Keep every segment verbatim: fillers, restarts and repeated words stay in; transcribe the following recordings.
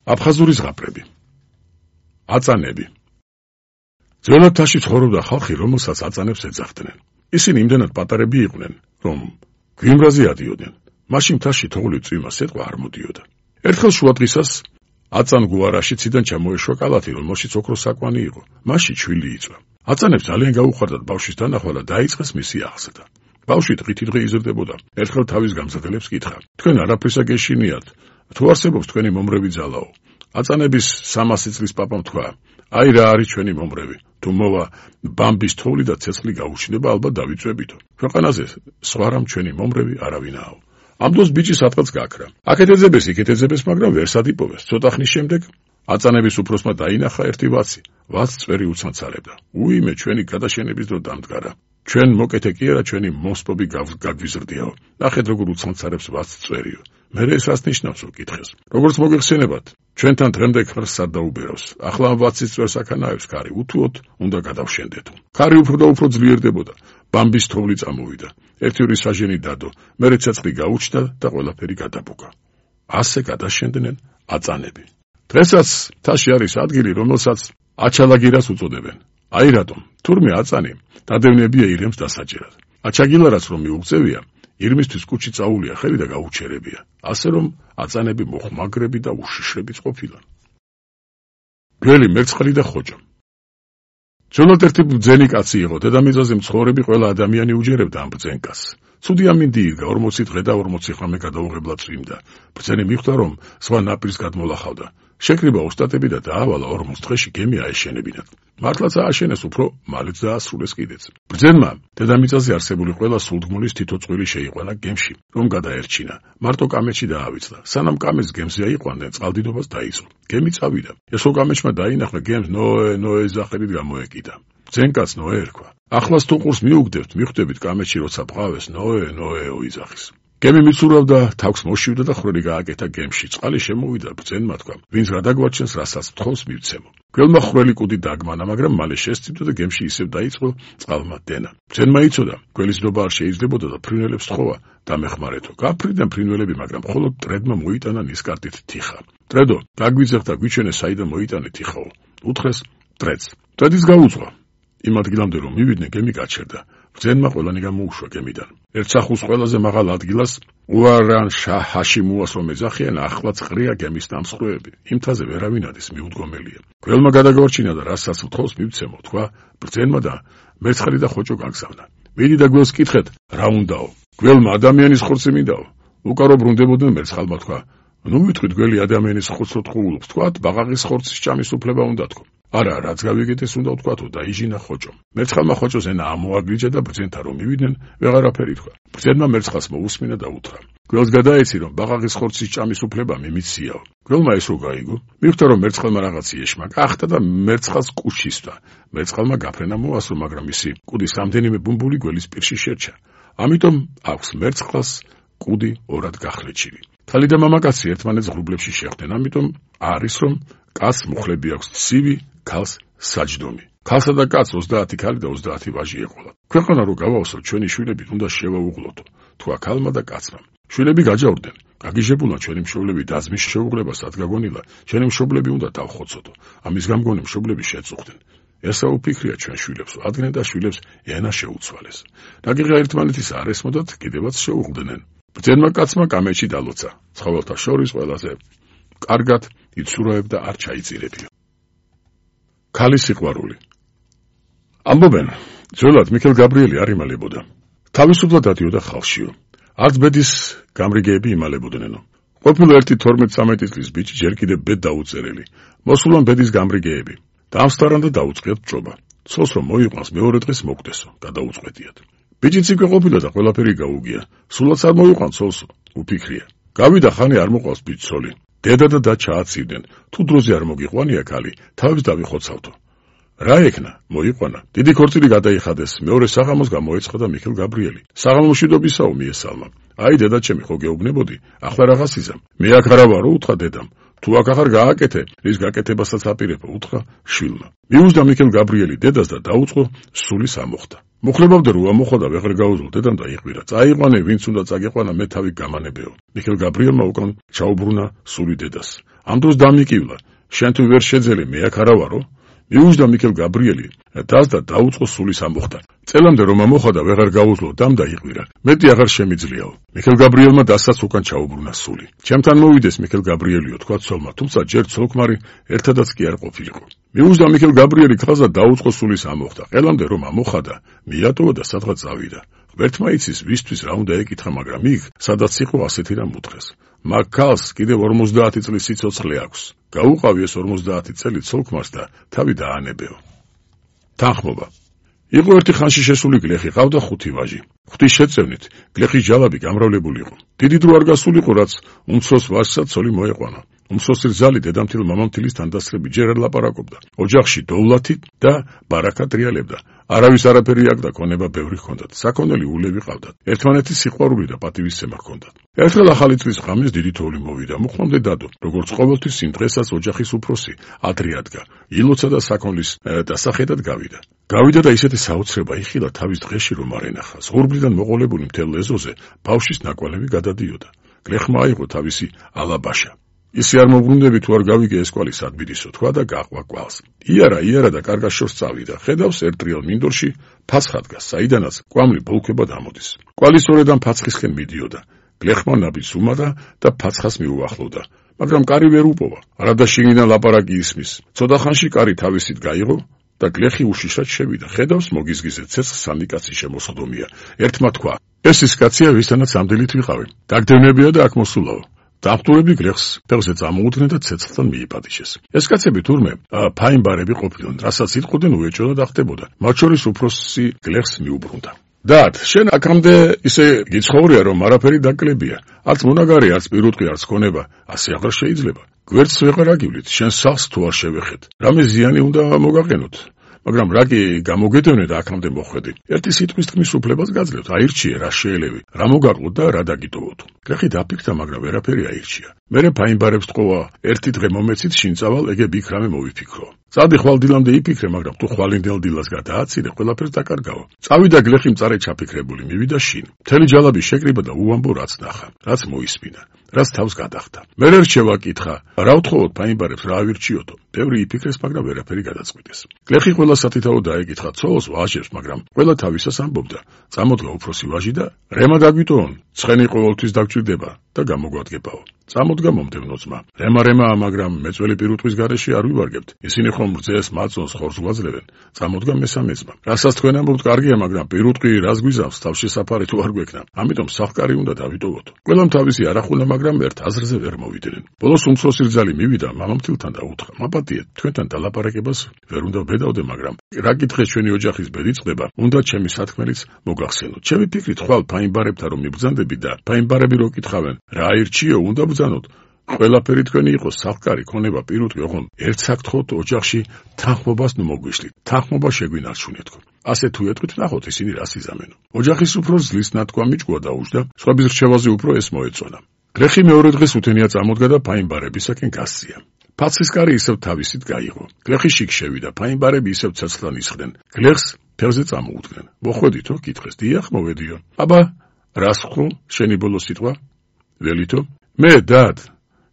აფხაზური ზღაპრები. აწანები. ძველად თაში ცხოვრობდა ხალხი, რომელსაც აწანებს ეძახდნენ. ისინი იმდენად პატარები იყვნენ, რომ გვიმრაზე ადიოდნენ. მაშინ თაში თოვლი წვიმა სიტყვა არ მოდიოდა. ერთხელ შუადღისას აწან გუარაში ციდან ჩამოეშვა კალათი, რომელშიც ოქროს საკვანი იყო. მასში ჩვილი იწვა. აწანებს ძალიან გაუხარდათ ბავშვის დანახვა და დაიწყეს მისი აღზრდა. ბავშვი დღითიდღე იზრდებოდა. ერთხელ თავის გამზრდელებს კითხა: თქვენ არაფრისა გეშინიათ, თუ არსებობს თქვენი მომრევი ძალაო? აწანების სამასი წლის პაპამ თქვა: აი რა არის ჩვენი მომრევი, თუ მოვა ბამბის თოვლი და ცეცხლი გაუჩნდება, ალბათ დავიწვევითო. ქვეყანაზე სხვა რამ ჩვენი მომრევი არავინაო. ამ დროს ბიჭი სადღაც გაქრა. აქეთ ეძებეს, იქეთ ეძებეს, მაგრამ ვერ სადიპოვეს. ცოტა ხნის შემდეგ აწანების უფროსმა დაინახა ერთი ვაცი. ვაც წვერი უცანცარებდა. უიმე, ჩვენი გადაშენების დრო დამდგარა. ჩვენ მოკეთე კი არა, ჩვენი მოსპობი გაგვიზრდიაო. ნახეთ როგორ უცანცარებს ვაც წვერიო. მერე ეს რას ნიშნავს უკითხეს. როგორც მოგეხსენებათ, ჩვენთან დღემდე ქარს არ დაუბერავს. ახლა ამ ვაცის წვერს აქანაებს ქარი, უთუოდ უნდა გადავშენდეთ. ქარი უფრო და უფრო ძლიერდებოდა. ბამბის თოვლი წამოვიდა. ერთი ორი საჟენი დადო, მერე ცეცხლი გაუჩნდა და ყველაფერი გადაბუგა. ასე გადაშენდნენ აწანები. დღესაც თაში არის ადგილი, რომელსაც აჩალაგირას უწოდებენ. აი რატომ? თურმე აწანი დადევნებია ირემს დასაჭერად. აჩაგილარაც რომ მიუღწევია, ირმისთვის კუჩი წაულია ხელი და გაუჩერებია. ასე რომ აწანები მოხმაგრები და უშიშრებიც ყოფილან. გველი მერცხალი და ხოჭო. ძველად ერთი ბრძენი კაცი იყო, დედამიწაზე მცხოვრები ყველა ადამიანი უჯერებდა ამ ბრძენკას. ცუდი ამინდი იდგა, ორმოცი დღე და ორმოცი ღამე გადაუღებლად წვიმდა. ბრძენი მიხვდა, რომ სხვა ნაპირს გადმოლახავდა. შეკრიბა ოსტატები და დაავალა ორმოც დღეში გემი აეშენებინათ. მართლაც ააშენეს, უფრო მალეც დაასრულეს კიდეც. ბრძენმა დედამიწაზე არსებული ყველა სულთგმულის თითო წვილი შეიყვანა გემში, რომ გადაერჩინა. მარტო კამეჩი დაავიწყდა. სანამ კამეც გემზე აიყვანდნენ, წყალდიდობას დაიწყო. გემი წავიდა. ესო კამეჩმა დაინახა გემს ნოე, ნოეს სახელით გამოეკიდა. ბრძენკაც ნოე ერქვა. ახლას თუ ყურს მიუგდებთ, მიხვდებით კამეჩი როცა ბღავეს ნოე, ნოეო იძახის. გემი მიცურავდა, თავს მოშივდა და ხრელი გააკეთა გემში. წყალი შემოვიდა, ბრძენმა თქვა: ვინც რა დაგვაჩენს, რასაც თხოვს მივცემო. გველმა ხრელი კუდი დაგმანა, მაგრამ მალე შესწივდა და გემში ისევ დაიწყო წყალმა დენა. ბრძენმა იცოდა, გველის ნდობა არ შეიძლებოდა და ფრინველებს თხოვა დამეხმარეთო. გაფრინდნენ ფრინველები, მაგრამ მხოლოდ ტრედმა მოიტანა ნისკარტით თიხა. ტრედო, გაგვიძახ და გვიჩვენე საიდან მოიტანე თიხაო. უთხრეს ტრედს. ტრედის გაუძღვა. იმ ადგილამდე რომ მივიდნენ, გემი გაჩერდა. ბრძენმა ყველანი გამოუშვა გემიდან. ერთ სახუს ყველაზე მაღალ ადგილას უარან შაჰაშიმუას რომ ეძახიან, ახლაც ყრია გემის დამსხვრევები. იმთაზე ვერავინ ადის, მიუდგომელია. გველმა გადაგორჩინა და რასაც თხოვს მივცემო, თქვა ბრძენმა და მერცხალი და ხოჭო გაგზავნა. მიდი და გველს კითხეთ, რა უნდაო? გველმა ადამიანის ხორცი მინდაო. უკარო ბრუნდებოდნენ, მერცხალმა თქვა: ნუ ვიტყვით, გველი ადამიანის ხორცს თხოვულობს, თქვათ, ბაყაყის ხორცის ჭამის უფლება უნდა თქო. არა, რაც გავიგეთეს უნდა ვთქვათო, დაიჟინა ხოჭომ. მერცხალმა ხოჭოს ენა ამოაგრიჯა და ბრძენთან რომ მივიდნენ, ვეღარაფერი თქვა. ბრძენმა მერცხალს მოусმინა და უთხრა: გველს გადაეცი, რომ ბაყაყის ხორცის ჭამის უფლება მიმიციაო. გველმა ეს რო გაიგო, მიხვდა, რომ მერცხალმა რაღაც იეშმა გახდა და მერცხალს კუჩისდა. მერცხალმა გაფრენა მოასრო, მაგრამ ისი კუდის რამდენიმე ბუმბული გველის პირში შერჩა. ამიტომ აქვს მერცხალს კუდი ორად გახლეჩილი. ქალი და მამაკაცი ერთმანეთს ღრუბლებში შეხვდნენ, ამიტომ არის რომ კაცს მუხლები აქვს ცივი, ქალს საჯდომი. ქალსა და კაცს ოცდაათი ქალი და ოცდაათი ვაჟი ეყოლა. ქვეყანა რო გავავსოთ, ჩვენი შვილები უნდა შევაუღლოდო, თქვა ქალმა და კაცმა. შვილები გაჯავრდნენ. გაგიჟებულა ჩვენი მშობლები დაზმის შეუღლება სად გაგონილა, ჩვენი მშობლები უნდა დავხოცოდო. ამის გამგონი მშობლები შეწუხდნენ. ესა უფიქრია ჩვენ შვილებს, ადგენენ და შვილებს ენა შეუცვალეს. რაგიღა ერთმანეთის არ ესმოდათ, კიდევაც შეუღლდნენ. ბრძენმა კაცმა კამეჩი დალოცა. ცხოველთა შორის ყველაზე კარგად იცურაებდა, არ ჩაიწირებია. ქალის სიყვარული. ამბობენ, ძველად მიქელ გაბრიელი არ იმალებოდა. თავისუფლად დადიოდა ხალხშიო. არც ბედის გამრიგეები იმალებოდნენო. ყოფილა ერთი თორმეტ წამეტი წლის ბიჭი, ჯერ კიდევ ბედ დაუწერელი. მოსულან ბედის გამრიგეები. დაამსტარან და დაუწყიათ ჭობა. ცოლს რომ მოიყვანს, მეორე დღეს მოგდესო, გადაუწყვეტიათ. ბიჭიც იქ ყოფილა და ყველაფერი გაუგია. სულაც არ მოიყვან ცოლს, უფიქრია. გავიდა ხანი არ მოყავს ბიჭს ცოლი. დედა და და ჩააცივდნენ. თუ დროზე არ მოგიყვანია ქალი, თავის დავიხოცავთო. რა ეკნა? მოიყვანა. დიდი ქორწილი გადაიხადეს, მეორე საღამოს გამოეცხა და მიქელ გაბრიელი. საღამომშვიდობისაო მიესალმა. აი დედაჩემი, ხო გეუბნებოდი, ახლა რაღაც იზამ. მე აქ არა ვარო, უთხრა დედამ. თუ აქ ახარ გააკეთე, რის გაკეთებასაც აპირებო, უთხრა შვილმა. მიუძდა მიქელ გაბრიელი დედას და დაუწყო სულის ამოხდა. მოხლებავდა რომ ამოხდა და ვეღარ გაუძლო დედამ და იყვირა. წაიყვანე, ვინც უნდა წაგიყვანა, მე თავი გამანებეო. მიხეილ გაბრიელმა უკან ჩაუბრუნა სული დედას. ამ დროს დამიკივლა. შენ თუ ვერ შეძელი, მე აქ არა ვარო? მიუჯდა მიხეილ გაბრიელი დას და დაუწყო სულის ამოხდა. წელამდე რომ ამოხდა და ვეღარ გაუძლო დამ და იყვირა. მეტი აღარ შემიძლიაო. მიხეილ გაბრიელმა დასაც უკან ჩაუბრუნა სული. ჩემთან მოვიდეს მიხეილ გაბრიელიო, თქვა ცოლმა, თუმცა ჯერ ცოლქმარი ერთადაც კი არ ყოფილიყო. მიუჯდა მიხეილ გაბრიელი ხაზა დაუწყო სულის ამოხდა. ყელამდე რომ ამოხდა, მიატოვა და სადღაც წავიდა. ღმერთმა იცის ვისთვის რა უნდა ეკითხა, მაგრამ იქ სადაც იყო ასეთი რამ უთხრეს. მაგ ქალს კიდევ ორმოცდაათი წლის სიცოცხლე აქვს. გაუყავი ეს ორმოცდაათი წელი ცოლქმარს და თავი დაანებეო. თანხმობა. იყო ერთი ხანში შესული გლეხი, ყავდა ხუთი ვაჟი. ღვთის შეწევნით გლეხის ჯალაბი გამრავლებული იყო. დიდი დრო არ გასულიყო, რაც უმცროს ვაჟსაც ცოლი მოეყვანა. უმცროსი რძალი დედამთილ მამამთილის თანდასწრებით ჯერ არ ლაპარაკობდა. ოჯახში დოვლათით და ბარაკად რიალებდა. არავის არაფერი აქ და ქონება ბევრი ჰქონდათ. საქონელი ულევი ყავდათ. ერთმანეთის სიყვარული და პატივისცემა ჰქონდათ. ერთხელ ახალი წლის ღამეს დიდი თოვლი მოვიდა. მოხმამდე დადო, როგორც ყოველთვის იმ დღესაც ოჯახის უფროსი ადრე ადგა. ილოცა და საქონლის დასახედად გავიდა. გავიდა და ისეთი საოცრება იხილა თავის დღეში რომ არ ენახა. ზღურბლიდან მოყოლებული მთელ ეზოზე ბავშვის ნაკვალევი გადადიოდა. გლეხმა აიღო თავისი ალაბაშა. ისი არ მოგვუნდები თუ არ გავიგე ეს კვალი სადბირისო, თქვა და გაყვა კვალს. იარა, იარა და კარგად შორს წავიდა. ხედავს ერთრიალ მინდორში ფაცხა დგას, საიდანაც კვამლი ბოლქვება დამოდის. კვალი სწორედ ამ ფაცხისკენ მიდიოდა. გლეხმა ნაბიჯს უმატა და ფაცხას მიუახლოვდა. მაგრამ კარი ვერ უპოვა. არადა შიგნიდან ლაპარაკი ისმის. ცოტა ხანში კარი თავისით გაიღო და გლეხი უშიშრად შევიდა. ხედავს მოგიზგიზეთ ცეცხლს სამი კაცი შემოსხდომია. ერთმა თქვა: ეს ის კაცია, ვისთანაც ამდელით ვიყავი. დაგდევნებია და აქ მოსულაო. დამხტურები გლეხს ფეხზე წამოუდგნენ და ცეცხლთან მიიპატიშეს. ეს კაცები თურმე ფაინბარები ყოფილან, რასაც იტყოდნენ უეჭოდა და ხდებოდა. მათ შორის უფროსი გლეხს მიუბრუნდა. დად, შენ აქამდე ისე გიცხოვრია, რომ არაფერი დაკლებია. არც მონაგარი, არც პირუტყვი, არც ქონება, ასე აღარ შეიძლება. გვერდს ვეღარ აგივლით, შენ სახლს თუ არ შევეხეთ. რამე ზიანი უნდა მოგაყენოთ. მაგრამ რა კი გამოგედევნე და აქამდე მოხვედი. ერთი სიტყვის თქმის უფლებას გაძლევთ, აირჩიე რა შეელევი, რა მოგაყოთ და რა დაგიტოვოთ. გლეხი დაფიქრდა, მაგრამ ვერაფერი აირჩია. მერე ფაინბარებს თყოვა, ერთი დღე მომეცით შინწავალ, ეგებ იქ რამე მოვიფიქრო. წადი ხვალ დილამდე იფიქრე, მაგრამ თუ ხვალინდელ დილას გადააცილე, ყველაფერს დაკარგავ. წავიდა გლეხი მწარე ჩაფიქრებული, მივიდა შინ. მთელი ჯალაბი შეკრიბა და უამბო რაც ნახა, რაც მოისმინა, რაც თავს გადახდა. მერე რჩევა კითხა, რა უთხოვოთ ფაინბარებს, რა ავირჩიოთო. ბევრი იფიქრეს, მაგრამ ვერაფერი გადაწყვიტეს. გლეხი ყველა სათითაო დაეკითხა ცოლს, ვაჟებს, მაგრამ ყველა თავისას ამბობდა. წამოდგა უფროსი ვაჟი და რემა დაგვიტოვონ, ცხენი ყოველთვის დაგჭირდება და გამოგვადგებაო. წამოდგა მომდევნო ძმა. რემა რემაა, მაგრამ მეწველი პირუტყვის გარეშე არ ვივარგებთ. ისინი ხომ რძეს, მაწონს, ხორს გვაძლევენ. წამოდგა მესამე ძმა. რასაც თქვენ ამბობთ კარგია, მაგრამ პირუტყვი რას გვიზავს, თავშესაფარი თუ არ გვექნა. ამიტომ სახკარი უნდა დავიტოვოთ. ყველამ თავისი არახულა, მაგრამ ერთ აზრზე ვერ მოვიდნენ. ბოლოს უმცროსი რძალი მივიდა მამამთილთან და უთხრა: მაპატიეთ, თქვენთან დალაპარაკებას ვერ უნდა ვბედავდე, მაგრამ რა კითხეთ ჩვენი ოჯახის ბედი წყდება, უნდა ჩემი სათქმელიც მოგახსენოთ. ჩემი ფიქრით ხვალ ფაინბარებთან რომ მიბრძანდები და ფაინბარები რო კითხავენ, რა აირჩიო, უნდა ბრძანოთ. ყველაფერი თქვენი იყოს, სახკარი, ქონება, პირუტყვი, ოღონდ ერთ საკითხოთ ოჯახში თანხმობას ნუ მოგვიშლით. თანხმობა შეგვინარჩუნეთ. ასე თუ ეტყვით, ნახოთ ისინი რას იზამენო. ოჯახის უფროს ძლის ნათქვა მიჭკვა და უჯდა, სხვების რჩევაზე უფრო ეს მოეწონა. გლეხი მეორე დღეს უთენია წამოდგა და ფაინბარებისაკენ გასწია. ფაცხის კარი ისევ თავისით გაიღო. გლეხი შიგ შევიდა, ფაინბარები ისევ ცეცხლთან ისხდნენ. გლეხს ფეხზე წამოუდგნენ. მოხვედითო? კითხეს. დიახ, მოვედიო. აბა, რას ხრო, შენი ბოლო სიტყვა? ველითო? მე, დად,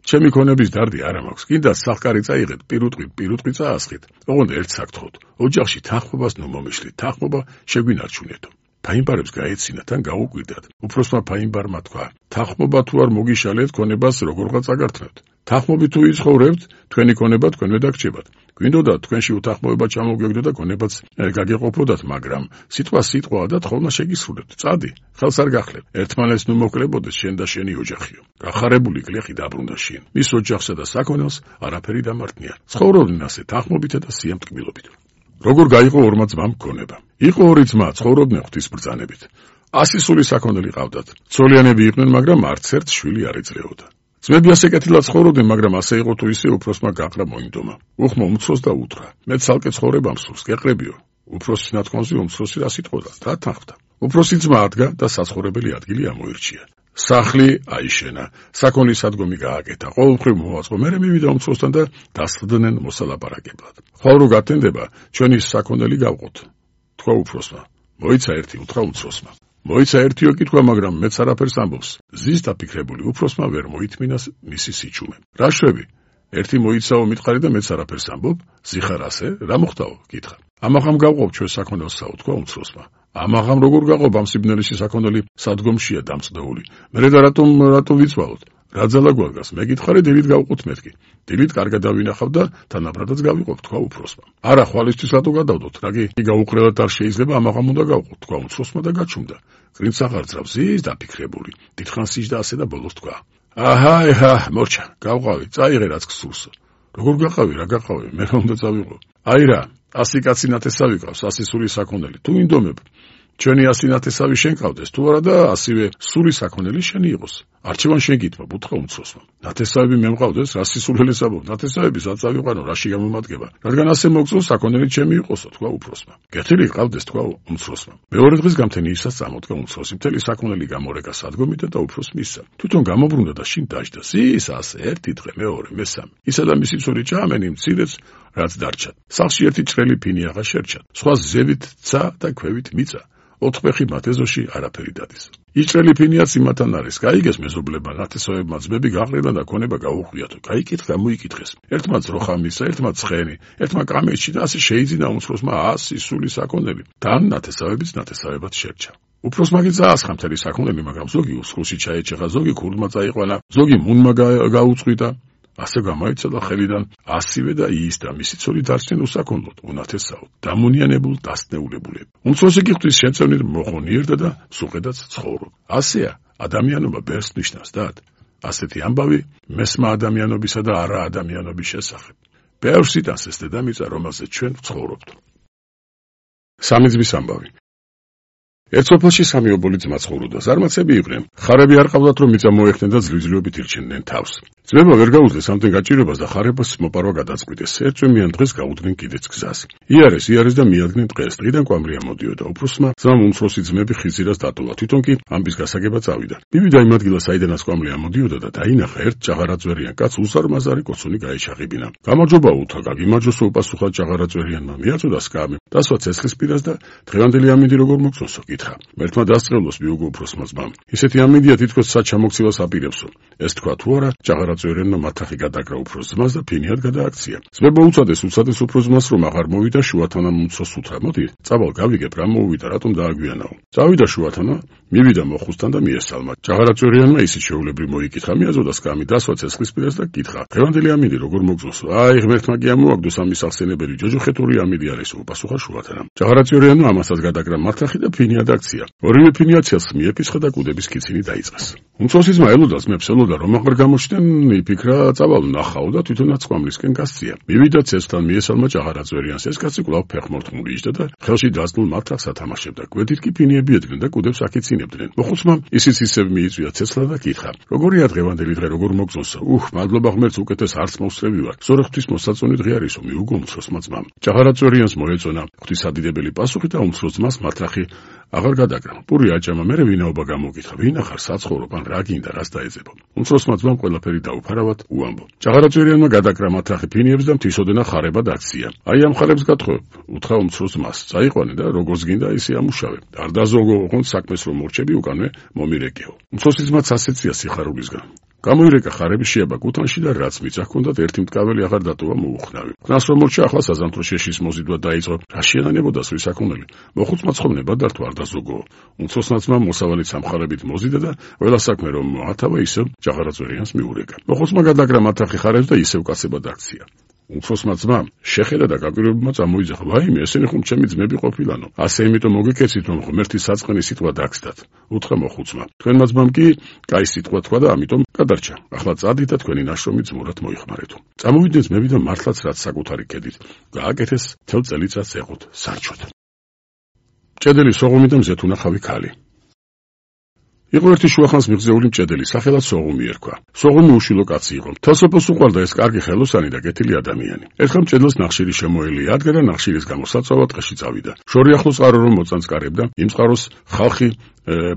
ჩემი ქონების დარდი არ მაქვს. კიდაც სახკარი წაიღეთ, პირუტყვი, პირუტყვი წაასხით. ოღონდ ერთ საკითხოთ. ოჯახში თანხმობას ნუ მომიშლით. თანხმობა შეგვინარჩუნეთო. ფაინბარებს გაეცინა, თან გაუკვირდათ. უფროსმა ფაინბარმა თქვა: თანხმობა თუ არ მოგიშალეთ, ქონებას როგორღაც აგართმევთ. თანხმობით თუ იცხოვრებთ, თქვენი ქონება თქვენვე დაგჭირდებათ. გვინდოდა თქვენში უთანხმოება ჩამოგეგდო და ქონებაც გაგეყოფოდათ, მაგრამ სიტყვა სიტყვაა და თხოვნა შეგისრულებთ. წადი, ხელს არ გახლებ. ერთმანეთს ნუ მოკლებოდეს შენ და შენი ოჯახიო. გახარებული გლეხი დაბრუნდა შინ. მის ოჯახსა და საქონელს არაფერი დამარტნია. ცხოვრობდნენ ასე თანხმობითა და სიამტკბილობით. როგორ გაიყო ორმა ძმამ ქონება? იყო ორი ძმა, ცხოვრობდნენ ღვთის ბრძანებით. ასი სული საქონელი ყავდათ. ცოლიანები იყვნენ, მაგრამ არც ერთ შვილი არ ეძლეოდა. ძმები ასე კეთილად ცხოვრობდნენ, მაგრამ ასე იყო თუ ისე უფროსმა გაყრა მოინდომა. უხმო უმცროს და უთხრა: მე ცალკე ცხოვრება მსურს, გეყრებიო. უფროსის ნათქვამზე უმცროსი რას იტყოდა? რა თანხმდა? უფროსი ძმა ადგა და საცხოვრებელი ადგილი ამოირჩია. სახლი აიშენა, საქონლის სადგომი გააკეთა, ყოველმხრივ მოვაწყო. მერე მივიდა უმცროსთან და დასხდნენ მოსალაპარაკებლად. ხვალ რო გათენდება, ჩვენი საქონელი გავყოთ. თქვა უფროსმა: მოიცა ერთი უთხრა უმცროსმა. მოიცა ერთიო კითხვა, მაგრამ მეც არაფერს ამბობს. ზის დაფიქრებული უფროსმა ვერ მოითმინა მისი სიჩუმე. რა შვები? ერთი მოიცაო მითხარი და მეც არაფერს ამბობ? ზიხარ ასე? რა მოხდაო? კითხა. ამაღამ გავყოფ ჩვენ საქონელსაო, თქვა უმცროსმა. ამაღამ როგორ გაყოფ, ამ სიბნელეში საქონელი სადგომშია დამწდეული. მე და რატომ რატომ ვიცვალოთ? რა ძალა გვარგას? მე გითხარი, დილით გავყოთ მეთქი. დილით კარგად დავინახავ და თანაბრადაც გავიყოფ, თქვა უფროსმა. არა, ხვალისთვის რატო გადავდოთ? რაგი გაუყრელად არ შეიძლება, ამაღამ უნდა გავყოთ, თქვა უმცროსმა და გაჩუმდა. გრინც აღარ ძრავს, ზის დაფიქრებული. დიდხანს ისჯდა ასე და ბოლოს თქვა. აჰა, აჰა, მორჩა, გავყავი, წაიღე რაც გსურს. როგორ გაყავი, რა გაყავი? მე რა უნდა წავიღო? აი რა, ასი კაცი ნათესავი ყავს, ასი სული საქონელი. თუ ინდომებ, ჩვენი ასი ნათესავი შენ ყავდეს, თუ არა და ასივე სული საქონელი შენი იყოს. არჩევან შენ გითხრობ, უთხრა უმცროსმა. ნათესავები მე მყავდეს, რა სისულელეს ამბობ? ნათესავები რაც ავიყვანო, რაში გამომადგება? რადგან ასე მოგწონს, საქონელი ჩემი იყოსო, თქვა უფროსმა. გეთილი ყავდეს, თქვა უმცროსმა. მეორე დღეს გამთენიისას წამოდგა უმცროსი, მთელი საქონელი გამორეკა სადგომიდან და უფროს მისცა. თვითონ გამობრუნდა და შინ დაждდა. ის ასე ერთი დღე, მეორე, მესამე. ისა და მისი ცოლი ჭამენი მცირეც რაც დარჩათ. სახლში ერთი ჭრელი ფინი აღარ შერჩათ. სხვა ზევით ცა და ქვევით მიწა. ოთხფეხი მათ ეზოში არაფერი დადის. იჭრელი ფინიაც იმათან არის, გაიგეს მეზობლებმა, ნათესავებმა ძმები გაყრილა და ქონება გაუხვიათო. გაიკითხა, მოიკითხეს. ერთმა ძროხა მისცა, ერთმა ცხენი, ერთმა კამეჩი და ასე შეიძინა უმცროსმა ასი სული საქონელი. თან ნათესავებიც ნათესავებად შერჩა. უფროსმა კი წაასხა მთელი საქონელი, მაგრამ ზოგი უსხლოში ჩაეჭეხა, ზოგი ქურდმა წაიყვანა, ზოგი მუნმა გაუწყვიტა. ასე გამოიცა და ხელიდან ასივე და ის და მისი ცოლი დარჩნენ უსაქონლოდ, უნათესაოდ, დამონიანებულ, დასნეულებულები. უმცროსი კი ღვთის შემწევნით მოხონიერდა და სუყედაც ცხოვრობ. ასეა, ადამიანობა ბერს ნიშნავს დად. ასეთი ამბავი მესმა ადამიანობისა და არა ადამიანობის შესახებ. ბევრს იტანს ეს დედამიწა, რომელზეც ჩვენ ვცხოვრობთ. სამი ძმის ამბავი. ერთ სოფელში სამი ობოლი ძმა ცხოვრობდა. ზარმაცები იყვნენ. ხარები არ ყავდათ, რომ მიწა მოეხდნენ და ძლივ-ძლივობით ირჩენდნენ თავს. ძმებმა ვერ გაუძლეს ამდენ გაჭირებას და ხარებას მოპარვა გადაწყვიტეს. ერთვემიან დღეს გაუდგნენ კიდეც გზას. იარეს, იარეს და მიადგნენ დღეს. დღიდან კვამლია მოდიოდა. უფროსმა ძმამ უმცროსი ძმები ხიზირას დატოვა. თვითონ კი ამბის გასაგება წავიდა. მივიდა იმ ადგილას, საიდანაც კვამლია მოდიოდა და დაინახა ერთ ჭაღარაძვერიან კაცს უსარმაზარი კოცონი გაეჩაღებინა. გამარჯობა უთხრა, გაგიმარჯოსო, უპასუხა ჭაღარაძვერიანმა. მიაწოდა სკამი. დასვა ცეცხლის პირას და დღევანდელი ამინდი როგორ მოგწონსო? კითხა. მერთმა დასწრებლოს მიუგო უფროსმა ძმამ. ისეთი ამინდია თითქოს საჩამოქცევას აპირებსო. ეს თქვა თუ არა, ჭაღარაძვერიანმა მათახი გადაკრა უფროს ძმას და ფინიად გადააქცია. ძმებმა უწოდეს, უწოდეს უფროს ძმას, რომ აღარ მოვიდა შუათანა უმცროს უთხრა. მოდი, წავალ გავიგებ რა მოვიდა, რატომ დააგვიანაო. წავიდა შუათანა, მივიდა მოხუსთან და მიესალმა. ჭაღარაძვერიანმა ისიც შეულებრივ მოიკითხა, მიაწოდა სკამი, დასვა ცეცხლის პირას და კითხა. დღევანდელი ამინდი როგორ მოგწონსო? აი, ღმერთმა კი ამოაგდო სამი სახსენებელი ჯოჯოხეთური ამინდი არის, უპასუხა შუათანა. ჭაღარაძვერიანმა ამასაც გადაკრა მართახი და ფინია დააქცია. ორივე ფინიაციას მიეფისხა და კუდების კიცინი დაიწყეს. უმცროსი ძმა ელოდა ძმებს ელოდა, რომ აღარ გამოჩნდნენ, იფიქრა, წავალ ნახაო და თვითონაც კვამლისკენ გასწია. მივიდა ცეცხლთან მიესალმა ჭაღარაძვერიანს. ეს კაცი კვლავ ფეხმორთმული იჯდა და ხელში დასწნულ მართახს ათამაშებდა. გვერდით კი ფინიები ედგნენ და კუდებს აკიცინებდნენ. მოხუცმა ისიც ისევ მიიწვია ცეცხლა და კითხა. როგორია დღევანდელი დღე, როგორ მოგწონსო? უხ, მადლობა ღმერთს, უკეთეს არც მოსწრები ვარ. ზორ ღვთის მოსაწონი დღე არისო, მიუგო უმცროსმა ძმამ. ჭაღარაძვერიანს მოეწონა ღვთის ადიდებელი პასუხი და უმცროს ძმას მართახი აღარ გადაკრა. პური აჭამა, მერე ვინაობა გამოგითხა. ვინ ახარ საცხოვრობ ან რა გინდა, რას დაეძებო? უმცროსმა ძმამ ყველაფერი დაუფარავად უამბო. ჭაღარაძვერიანმა გადაკრა მათახი ფინიებს და მთისოდენა ხარება დააქცია. აი ამ ხარებს გათხოვებ, უთხრა უმცროს ძმას. წაიყვანე და როგორც გინდა ისე ამუშავე. არ დაზოგო ოღონდ საქმეს რომ მორჩები უკანვე მომირეკეო. უმცროსი ძმაც ასეცია სიხარულისგან. გამოირეკა ხარები შეაბა კუთანში და რაც მიწა ჰქონდათ ერთი მტკაველი აღარ დატოვა მოუხნავი. ხნას რომ მორჩა, ახლა საზამთრო შეშის მოზიდვა დაიწყო. რა შეანანებოდა სული საქონელი? მოხუცმა ცხობნება დართვა არ დაზოგო. უმცროსმა ძმამ მოსავალით სამხარებით მოზიდა და ყველა საქმე რომ მოათავა ისევ ჭაღარაძვერიანს მიურეკა. მოხუცმა გადაკრა მათახი ხარებს და ისევ კაცებად აქცია. უმცროსმა ძმამ შეხედა და გაკვირვებმა წამოიძახა. ვაიმე, ესენი ხომ ჩემი ძმები ყოფილანო. ასე იმიტომ მოგეკეცით, რომ ღმერთის საწყენი სიტყვა დაგცდათ. უთხრა მოხუცმა. თქვენმა ძმამ კი კაი სიტყვა თქვა და ამიტომ გადარჩა. ახლა წადით და თქვენი ნაშრომი ძმურად მოიხმარეთო. წამოვიდნენ ძმები და მართლაც რაც საკუთარი კედით გააკეთეს, თელ წელიწადს ეყოთ სარჩოდ. ჭედელი სოღუმი და მზეთუნახავი ქალი. იყო ერთი შუახანს მიღწეული მჭედელი, სახელად სოღუმი ერქვა. სოღუმი უშილო კაცი იყო. თელსოფოს უყვარდა ეს კარგი ხელოსანი და კეთილი ადამიანი. ერთხელ მჭედელს ნახშირი შემოელია, ადგა და ნახშირის გამოსაცავად ტყეში წავიდა. შორი ახლოს წყარო რომ მოწანწკარებდა, იმ წყაროს ხალხი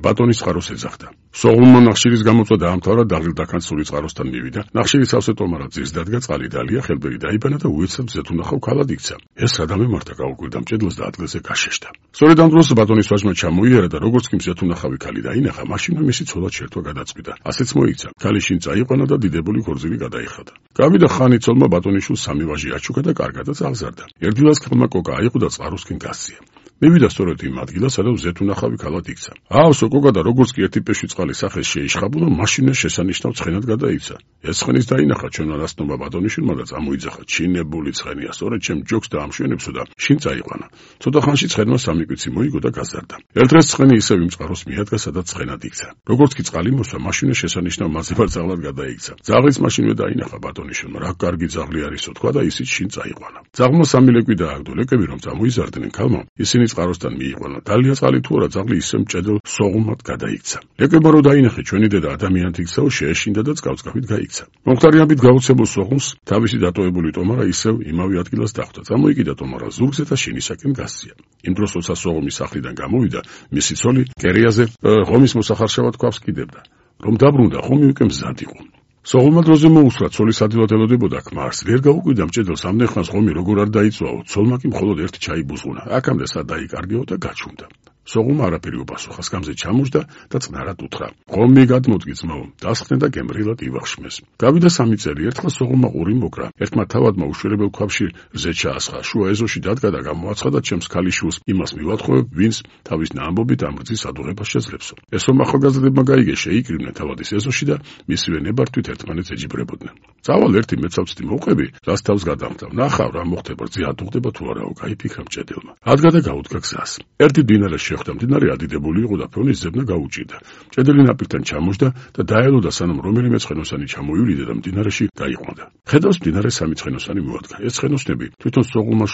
ბატონის წყაროს ეძახდა. სოღუმმა ნახშირის გამოწვა დაამთავრა, დაღილ-დაქან სული წყაროსთან მივიდა. ნახშირი სავსე ტომარად ძირს დადგა, წყალი დალია, ხელბერი დაიბანა და უეცრად მზეთუნახავ ქალად იქცა. ეს რა დამემართა გაუკვირდა მჭედელს და ადგილზე გაშეშდა. სწორედ ამ დროს ბატონის ვაჟმა ჩამოიარა და როგორც კი მზეთუნახავი ქალი დაინახა, მაშინვე მისი ცოლად შერთვა გადაწყვიტა. ასეც მოიქცა. ქალი შინ წაიყვანა და დიდებული ქორწილი გადაიხადა. გავიდა ხანი ცოლმა ბატონიშვილს სამი ვაჟი აჩუქა და კარგადაც აღზარდა. ერთდილას ხმა კოკა აიღო და წყაროსკენ გასცია. მივიდა სწორედ იმ ადგილას, სადაც ზეთუნახავი ქალად იქცა. აავსო კოკა და როგორც კი ერთი პეში წყალი სახეს შეიშხაბულა, მაშინვე შესანიშნავ ცხენად გადაიქცა. ეს ცხენის დაინახა ჩვენმა რასტნობა ბატონიშვილმა და წამოიძახა. ჩინებული ცხენია, სწორედ ჩემ ჯოგს დაამშვენებსო და შინ წაიყვანა. ცოტა ხანში ცხენმა სამი კვიცი მოიგო და გაზარდა. ერთ დღეს ცხენი ისევ იმ წყაროს მიადგა, სადაც ცხენად იქცა. როგორც კი წყალი მოსვა, მაშინვე შესანიშნავ მასებარძაღლად გადაიქცა. ძაღლიც მაშინვე დაინახა ბატონიშვილმა. რა კარგი ძაღლი არისო თქვა და ისიც შინ წაიყვანა. ძაღლმა სამი ლეკვი დააგდო. ლეკები რომ წამოიზარდნენ ქალმა, ისინი წყაროსთან მიიყვანა. დალია წყალი თუ არა, ძაღლი ისე მჭედელ სოღუმად გადაიქცა. ლეკებმა რომ დაინახე ჩვენი დედა ადამიანთ იქცაო, შეეშინდა და წყალწყავით გაიქცა. მომხდარიანობით გაუცებულ სოღუმს თავისი დატოვებული ტომარა ისევ იმავე ადგილას დახვდა. წამოიკიდა ტომარა ზურგზე და შინისაკენ გასცია. იმ დროს როცა სოღუმის სახლიდან გამოვიდა, მისი ცოლი კერიაზე ღომის მოსახარშავად ქვავს კიდებდა. რომ დაბრუნდა, ხომი უკვე მზად იყო. სოღუმმა დროზე მოუსვა, ცოლის ადვილად ელოდებოდა ქმარს. ვერ გაუკვირდა მჭედელს ამდენ ხანს ხომი როგორ არ დაიწვაო, ცოლმა კი მხოლოდ ერთი ჩაი ბუზღუნა. აქამდე სად დაიკარგეო და გაჩუმდა. სოღუმმა არაფერი უპასუხა, სკამზე ჩამოჯდა და წყნარად უთხრა. ხომი გადმოდგი ძმაო, დასხდე და გემრიელად ივახშმეს. გავიდა სამი წელი, ერთხელ სოღუმმა ყური მოკრა. ერთმა თავადმა უშველებელ ქვაბში რზე ჩაასხა. შუა ეზოში დადგა და გამოაცხადა ჩემს ქალიშვილს, იმას მივათხოვებ, ვინც თავის ნაამბობით ამ რძის ადუღებას შეძლებსო. ესო ახალგაზრდებმა გაიგე, შეიკრიბნენ თავადის ეზოში და მისივე ნებართვით ერთმანეთს ეჯიბრებოდნენ. წავალ ერთი მეცავცდი მოვყები, რას თავს გადამხდავ. ნახავ რა მოხდება, რძე ადუღდება თუ არაო, გაიფიქრა მჭედელმა. ადგა და გაუდგა გზას. ერთი დინარეს შეხვდა, მდინარე ადიდებული იყო და ფონის ზებნა გაუჭირდა. მჭედელი ნაპირთან ჩამოჯდა და დაელოდა, სანამ რომელიმე ცხენოსანი ჩამოივლიდა და მდინარეში გაიყვანდა. ხედავს, მდინარე სამი ცხენოსანი მოადგა. ეს ცხენოსნები თვითონ სოღუმმა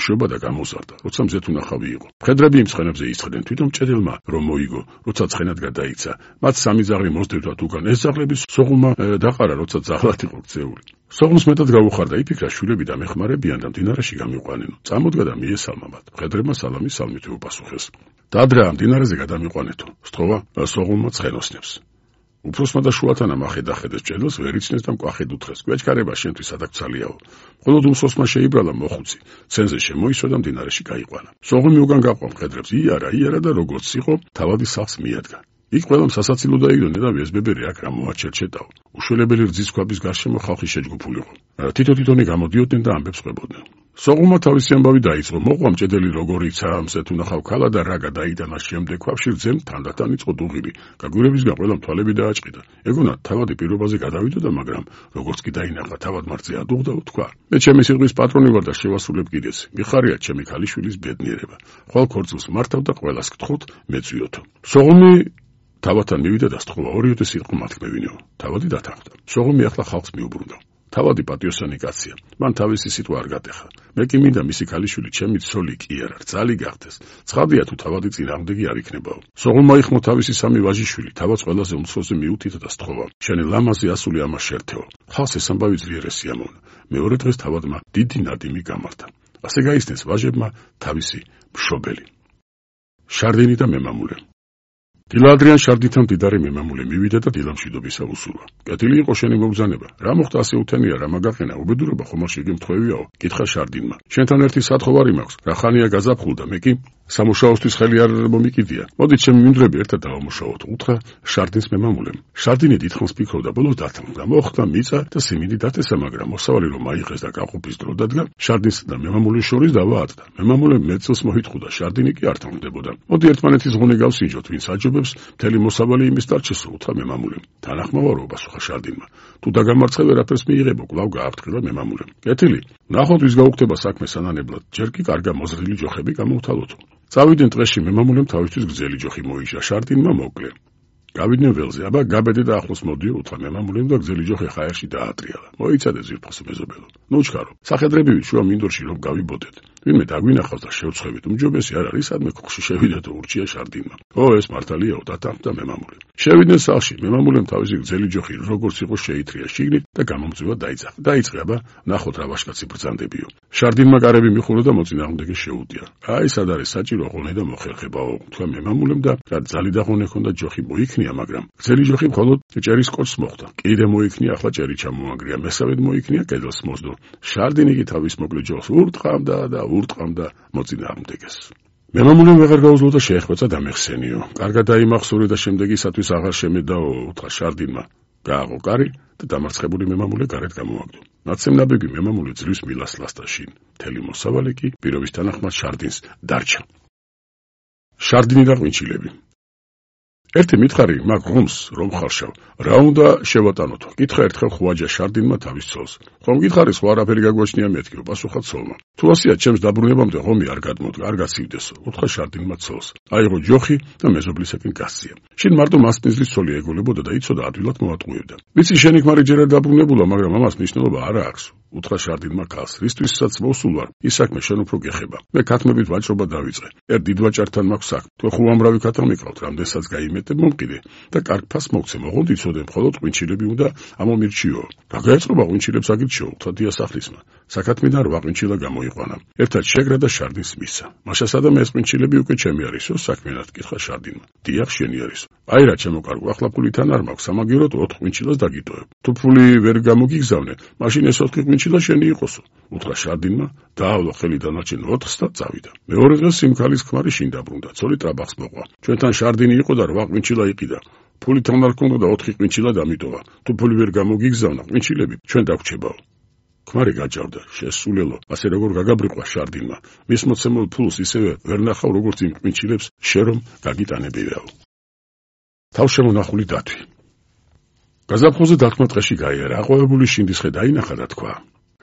შობა და გამოზარდა, როცა მზეთუნახავი იყო. მხედრები იმ ცხენებზე ისხდნენ, თვითონ მჭედელმა რომ მოიგო, როცა ცხენად გადაიქცა. მათ სამი ძაღლი მოსდევდათ უკან. ეს ძაღლები სოღუმმა დაყარა, როცა ძაღლად იყო ქცეული. სოღუმს მეტად გაუხარდა, იფიქრა შვილები დამეხმარებიან და მდინარეში გამიყვანენო. წამოდგა და მიესალმა მათ. მხედრებმა სალამი სალმით უპასუხეს. დადრა მდინარეზე გადამიყვანეთო. სთხოვა სოღუმმა ცხენოსნებს. უფროსმა და შუათანამ ახედახედეს მჭედელს, ვერ იცნეს და მკვახედ უთხრეს. გვეჩქარება შენთვის ადაგცალიაო. მხოლოდ უმსხოსმა შეიბრალა მოხუცი. ცენზე შემოისვა და მდინარეში გაიყვანა. სოღუმი უკან გაყვა მხედრებს, იარა, იარა და როგორც იყო, თავადის სახლს მიადგა. იქ ყველამ სასაცილო დაიგდონა და ვესბებერი აქ რა მოაჩერჩეტაო. უშველებელი რძის ქვაბის გარშემო ხალხი შეჯგუფულიყო. თითო-თითონი გამოდიოდნენ და ამბებს ყვებოდნენ. სოღუმმა თავისი ამბავი დაიწყო. მოყვა მჭედელი როგორ იქცა, მზეთუნახავ ქალა და რა გადაიტანა შემდეგ ქვაბში რძემ თანდათან იწყო დუღილი. გაგვირებისგან ყველამ თვალები დააჭყიდა. ეგონა თავადი პირობაზე გადავიდოდა, მაგრამ როგორც კი დაინახა თავად მარზე ადუღდა, თქვა: მე ჩემი სიტყვის პატრონი ვარ და შევასრულებ კიდეც. მიხარია ჩემი ქალიშვილის ბედნიერება. ხვალ ქორწილს მართავ და ყველას გთხოვთ მეწვიოთო. სოღუმი თავადთან მივიდა და სთხოვა, ორიოდე სიტყვა მათქმევინეო. თავადი დათანხმდა. სოღუმი ახლა ხალხს მიუბრუნდა. თავადი პატიოსანი კაცია. მან თავისი სიტყვა არ გატეხა. მე კი მინდა მისი ქალიშვილი ჩემი ცოლი კი არა, რძალი გახდეს. ცხადია თუ თავადი წინააღმდეგი არ იქნებაო. სოღუმმა იხმო თავისი სამი ვაჟიშვილი, თავადს ყველაზე უმცროსზე მიუთითა და სთხოვა. შენი ლამაზი ასული ამას შერთეო. ხალხს ეს ამბავი ძლიერ ესიამოვნა. მეორე დღეს თავადმა დიდი ნადიმი გამართა. ასე გაიცნეს ვაჟებმა თავისი მშობელი. შარდინი და მემამულე. დილა ადრიან შარდითან მდიდარი მემამულე მივიდა და დილამშვიდობისა უსურვა. კეთილი იყო შენი მოგზანება. რა მოხდა ასე უთენია, რა მაგაყენა, უბედურება ხომ არ შეგემთხვევიაო? კითხა შარდინმა. შენთან ერთი სათხოვარი მაქვს. რა ხანია გაზაფხულდა, მე კი სამუშაოსთვის ხელი არ მომიკიდია. მოდი ჩემი მინდვრები ერთად დავამუშაოთ, უთხრა შარდინს მემამულემ. შარდინი დიდხანს ფიქრობდა, ბოლოს დათანხმდა. მოხდა მიწა და სიმინდი დათესა, მაგრამ მოსავალი რომ აიღეს და გაყოფის დრო დადგა, შარდინს და მემამულის შორის დავა ატდა. მემამულემ მეწილს მოითხოვდა, შარდინი კი არ თანხმდებოდა. მოდი ერთმანეთის ზღუნე გავსინჯოთ, ვინც აჯობებს, მთელი მოსავალი იმის დარჩესო, უთხრა მემამულემ. თანახმოვარო, პასუხა შარდინმა. თუ დაგამარცხე ვერაფერს მიიღებო, კვლავ გააფრთხილა მემამულემ. კეთილი, ნახოთ ვის გაუხდება საქმე სანანებლად, ჯერ კი კარგა მოზრდილი ჯოხები გამოვთალოთო. წავიდნენ ტყეში, მემამულემ თავისთვის გრძელი ჯოხი მოიჭრა, შარდინმა მოკლე. გავიდნენ ველზე, აბა გაბედე და ახლოს მოდიო, უთხრა მემამულემ და გრძელი ჯოხი ხაერში დაატრიალა. მოიცადე ზირფხას მეზობელო. ნუ ჩქარო, სახედრები ვით შუა მინდორში რომ გავიბოდეთ. ვინმე დაგვინახავს და შევწყვებით, უმჯობესი არ არის სადმე ქუხში შევიდა და ურჩია შარდინმა. ო, ეს მართალიაო, დათანხმდა მემამულე. შევიდნენ სახლში, მემამულემ თავისი გრძელი ჯოხი როგორც იყო შეითრია შიგნით და გამომწვევა დაიძახა. დაიწყე, აბა, ნახოთ რა ვაშკაცი ბრძანდებიო. შარდინმა კარები მიხულა და მოწინააღმდეგე შეუდია. აი, სად არის საჭირო ღონე და მოხერხებაო, თქვა მემამულემ და რა ძალი და ღონე ჰქონდა ჯოხი მოიქნია, მაგრამ გრძელი ჯოხი მხოლოდ ჭერის კოჭს მოხდა. კიდე მოიქნია, ახლა ჭერი ჩამოანგრია, მესავედ მოიქნია, კედელს მოსდო. შარდინი კი თავის მოკლე ჯოხს ურტყამდა და ურტყამდა მოწინააღმდეგეს. მემამულემ ვეღარ გაუძლო და შეეხვეწა დამეხსენიო. კარგად დაიმახსოვრე და შემდეგისათვის აღარ შემედაო, უთხრა შარდინმა. გააღო კარი და დამარცხებული მემამულე გარეთ გამოაგდო. ნაცემნაბები მემამულე ძლივს მილას ლასტაშინ. მთელი მოსავალი კი პირობის თანახმად შარდინს დარჩა. შარდინი და ღვინჩილები. ერთი მითხარი მაგ ღომს რომ ხარშავ, რა უნდა შევატანოთო? კითხა ერთხელ ხვაჯა შარდინმა თავის ცოლს. ხომ გითხარი სხვა არაფერი გაგვაჩნია მეთქიო, პასუხა ცოლმა. თუ ასეა ჩემს დაბრუნებამდე ღომი არ გადმოდგა, არ გაცივდესო, უთხრა შარდინმა ცოლს. აიღო ჯოხი და მეზობლისაკენ გასწია. შინ მარტო მასპინძლის ცოლი ეგოლებოდა და იცოდა ადვილად მოატყუებდა. ვიცი შენი ქმარი ჯერ არ დაბრუნებულა, მაგრამ ამას მნიშვნელობა არ აქვს. უთხრა შარდინმა ქალს, რისთვისაც მოსულ ვარ, ის საქმე შენ უფრო გეხება. მე ქათმებით ვაჭრობა დავიწყე. ერთ დიდ ვაჭართან მაქვს საქმე. თუ ხო ამრავი ქათა მიყავთ, რამდენსაც გაიმეტებ მომყიდე და კარგ ფას მოგცე, მოღონდ იცოდე, მხოლოდ ღვინჩილები უნდა ამომირჩიო. რა გაეწყობა ღვინჩილებს აგირჩიო, უთხრა დიასახლისმა. საქათმიდან რვა ღვინჩილა გამოიყვანა. ერთად შეგრა და შარდინს მისცა. მაშასა და ეს ღვინჩილები უკვე ჩემი არისო, საქმიანად კითხა შარდინმა. დიახ, შენი არისო. აი რა ჩემო კარგო, ახლა ფულითან არ მაქვს, სამაგიეროდ ოთხ ღვინჩილას დაგიტოვებ. თუ ფული ვერ გამოგიგზავნე, მაშინ ეს ოთხი ღვინჩილა შენი იყოსო, უთხრა შარდინმა, დაავლა ხელი დანარჩენ ოთხს და წავიდა. მეორე დღეს სიმქალის ქმარი შინ დაბრუნდა, ცოლი ტრაბახს მოყვა. ჩვენთან შარდინი იყო და რვა ღვინჩილა იყიდა. ფულითან არ ქონდა და ოთხი ღვინჩილა დამიტოვა. თუ ფული ვერ გამოგიგზავნა, ღვინჩილები ჩვენ დაგვრჩებაო. ქმარი გაჭავდა, შესულელო, ასე როგორ გაგაბრიყვა შარდინმა. მის მოცემულ ფულს ისევე ვერ ნახავ, როგორც იმ ღვინჩილებს, შენ რომ გაგიტანებიაო. თავშემონახული დათვი. გაზაფხულზე დათმა ტყეში გაიარა, აყვავებული შინდის ხე დაინახა და თქვა: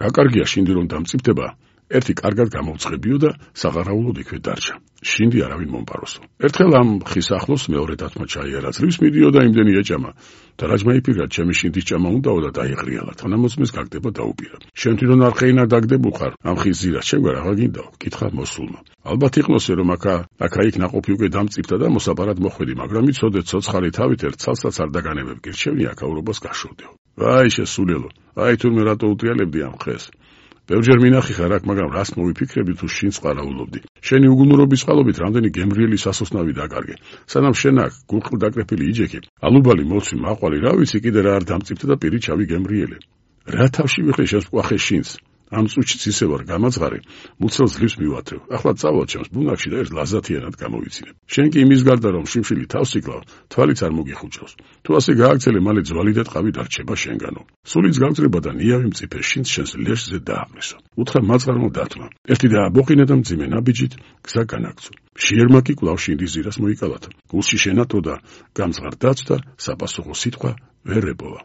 რა კარგია შინდი რომ დამწიფდება, ერთი კარგად გამოვწყებიო და საღარაულოდ იქვე დარჩა. შინდი არავინ მომპაროსო. ერთხელ ამ ხის ახლოს მეორე დათმა ჩაიარა, ძლივს მიდიო და იმდენი ეჭამა. და რაჯმა იფიქრა, ჩემი შინდის ჭამა უნდაო და დაიღრიალა. თანამოწმეს გაგდება დაუპირა. შენ თვითონ არ ხეინა დაგდებულ ხარ, ამ ხის ზირას შენ რა გაგინდაო? კითხა მოსულმა. ალბათ იყნოსე რომ აქა აქა-იქ ნაყოფი უკვე დამწიფდა და მოსაპარად მოხვედი, მაგრამ იცოდე ცოცხალი თავით ერთ ცალსაც არ დაგანებებ, გირჩევნი აქაურობას გაშოვდეო. აი შესულელო, აი თურმე რატო უტრიალებდი ამ ხეს? ბევრჯერ მინახი ხარ აქ, მაგრამ რას მოვიფიქრები თუ შინს ყარაულობდი? შენი უგუნურობის წყალობით რამდენი გემრიელი სასოსნავი დაკარგე. სანამ შენ აქ გულყრ დაკრეფილი იჯექი, ალუბალი მოცვი მაყვალი, რა ვიცი კიდე რა არ დამწიფდა და პირი ჩავი გემრიელე. რა თავში ვიხდი შესკვახე შინს? ამ წუთშიც ისე ვარ გამაძღარი, მუცელს ძლივს მივათრევ. ახლა წავალ ჩემს ბუნაგში და ერთ ლაზათიანად გამოვიცინებ. შენ კი იმის გარდა რომ შიმშილი თავს იკლავ, თვალიც არ მოგიხუჭავს. თუ ასე გააგრძელე, მალე ძვალი და ტყავი დარჩება შენგანო. სულიც გავწრება და ნიავი მწიფე შინს შენს ლეშზე დააღმესო. უთხრა მაწყარნო დათმა. ერთი დააბოყინა და მძიმე ნაბიჯით გზა განაგწო. შიერმა კი კვლავ შინდის ზირას მოიკალათა. გულში შენატო და გამძღარ დაცდა, საპასუხო სიტყვა ვერ ებოვა.